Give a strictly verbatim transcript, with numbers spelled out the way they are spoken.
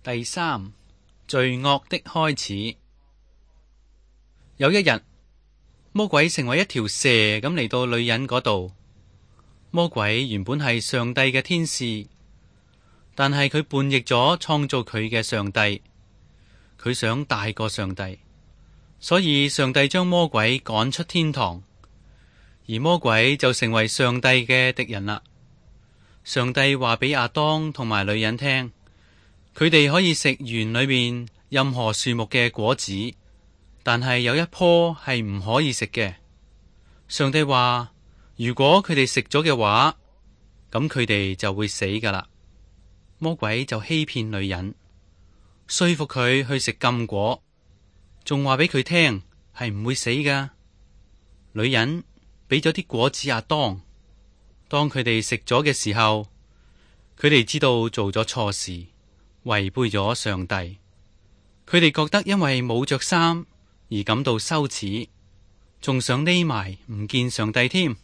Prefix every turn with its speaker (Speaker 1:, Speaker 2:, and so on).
Speaker 1: 第三，罪惡的開始。有一日，魔鬼成為一條蛇咁嚟到女人嗰度。魔鬼原本係上帝嘅天使，但係佢叛逆咗創造佢嘅上帝，佢想大過上帝，所以上帝將魔鬼趕出天堂，而魔鬼就成為上帝嘅敵人啦。上帝話俾亞當同埋女人聽，佢哋可以食園裏面任何樹木嘅果子，但係有一棵係唔可以食嘅。上帝話，如果佢哋食咗嘅話，咁佢哋就會死噶啦。魔鬼就欺騙女人，說服佢去食禁果，仲話俾佢聽係唔會死噶。女人俾咗啲果子亞當，當佢哋食咗嘅時候，佢哋知道做咗錯事，違背咗上帝。佢哋覺得因為冇着衫而感到羞恥，仲想匿埋唔見上帝添。